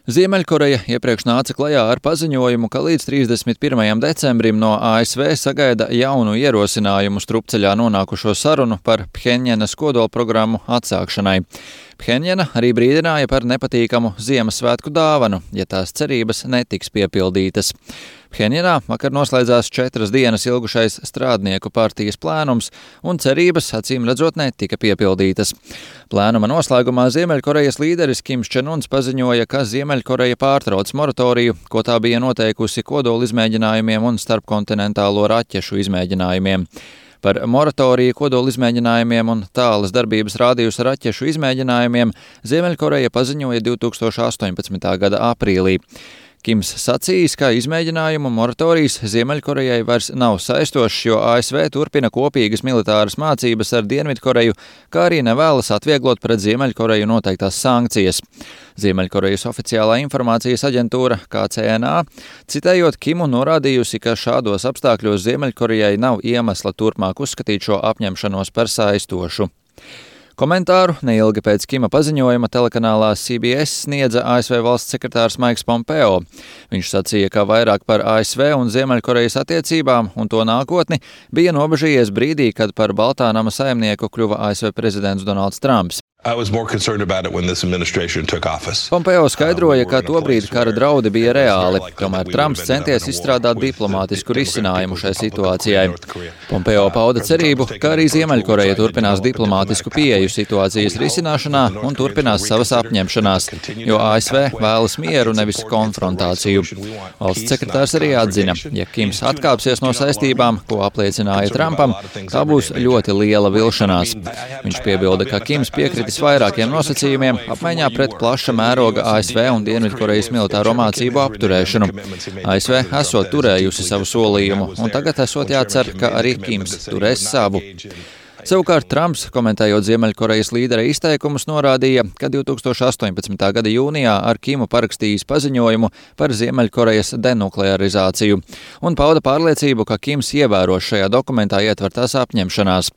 Ziemeļkoreja iepriekš nāca klajā ar paziņojumu, ka līdz 31. decembrim no ASV sagaida jaunu ierosinājumu strupceļā nonākušo sarunu par Phenjanas kodolprogrammu atsākšanai. Phenjana arī brīdināja par nepatīkamu Ziemassvētku dāvanu, ja tās cerības netiks piepildītas. Phenjanā vakar noslēdzās 4 dienas ilgušais strādnieku partijas plēnums, un cerības, acīm redzot, netika piepildītas. Plēnuma noslēgumā Ziemeļkorejas līderis Kims Čen Uns paziņoja, ka Ziemeļkoreja pārtrauc moratoriju, ko tā bija noteikusi kodola izmēģinājumiem un starpkontinentālo raķešu izmēģinājumiem. Par moratoriju kodola izmēģinājumiem un tālas darbības rādījusa raķešu izmēģinājumiem Ziemeļkoreja paziņoja 2018. gada aprīlī. Kims sacījis, ka izmēģinājumu moratorijas Ziemeļkorejai vairs nav saistošs, jo ASV turpina kopīgas militāras mācības ar Dienvidkoreju, kā arī nevēlas atvieglot pret Ziemeļkoreju noteiktās sankcijas. Ziemeļkorejas oficiālā informācijas aģentūra KCNA, citējot Kimu, norādījusi, ka šādos apstākļos Ziemeļkorejai nav iemesla turpmāk uzskatīt šo apņemšanos par saistošu. Komentāru neilgi pēc Kima paziņojuma telekanālā CBS sniedza ASV valsts sekretārs Maiks Pompeo. Viņš sacīja, ka vairāk par ASV un Ziemeļkorejas attiecībām un to nākotni bija nobežījies brīdī, kad par Baltā nama saimnieku kļuva ASV prezidents Donalds Trumps. Pompeo skaidroja, ka tobrīd kara draudi bija reāli, tomēr Trumps centies izstrādāt diplomātisku risinājumu šai situācijai. Pompeo pauda cerību, ka arī Ziemeļkoreja turpinās diplomātisku pieeju situācijas risināšanā un turpinās savas apņemšanās, jo ASV vēlas mieru, nevis konfrontāciju. Valsts sekretārs arī atzina, ja Kims atkāpsies no saistībām, ko apliecināja Trumpam, tā būs ļoti liela vilšanās. Viņš piebilda, ka Kims piekritis vairākiem nosacījumiem apmaiņā pret plaša mēroga ASV un Dienvidkorejas militāro mācību apturēšanu. ASV esot turējusi savu solījumu, un tagad esot jācer, ka arī Kims turēs savu. Savukārt Trumps, komentējot Ziemeļkorejas līdera izteikumus, norādīja, ka 2018. gada jūnijā ar Kimu parakstījis paziņojumu par Ziemeļkorejas denuklearizāciju un pauda pārliecību, ka Kims ievēros šajā dokumentā ietvertās apņemšanās.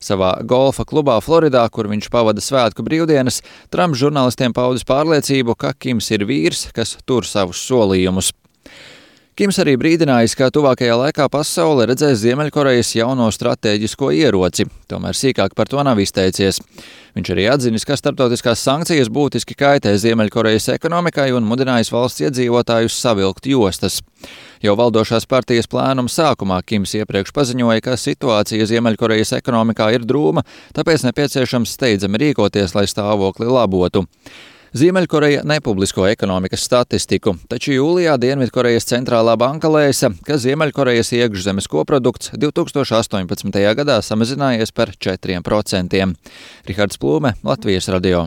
Savā golfa klubā Floridā, kur viņš pavada svētku brīvdienas, Trumps žurnālistiem paudis pārliecību, ka Kims ir vīrs, kas tur savus solījumus. Kims arī brīdinājis, ka tuvākajā laikā pasaule redzēs Ziemeļkorejas jauno stratēģisko ieroci, tomēr sīkāk par to nav izteicies. Viņš arī atzinis, ka starptautiskās sankcijas būtiski kaitē Ziemeļkorejas ekonomikai un mudinājis valsts iedzīvotājus savilkt jostas. Jau valdošās partijas plēnuma sākumā Kims iepriekš paziņoja, ka situācija Ziemeļkorejas ekonomikā ir drūma, tāpēc nepieciešams steidzami rīkoties, lai stāvokli labotu. Ziemeļkoreja nepublisko ekonomikas statistiku, taču jūlijā Dienvidkorejas centrālā banka lēsa, ka Ziemeļkorejas iekšzemes koprodukts 2018. gadā samazinājies par 4%. Rihards Plūme, Latvijas radio.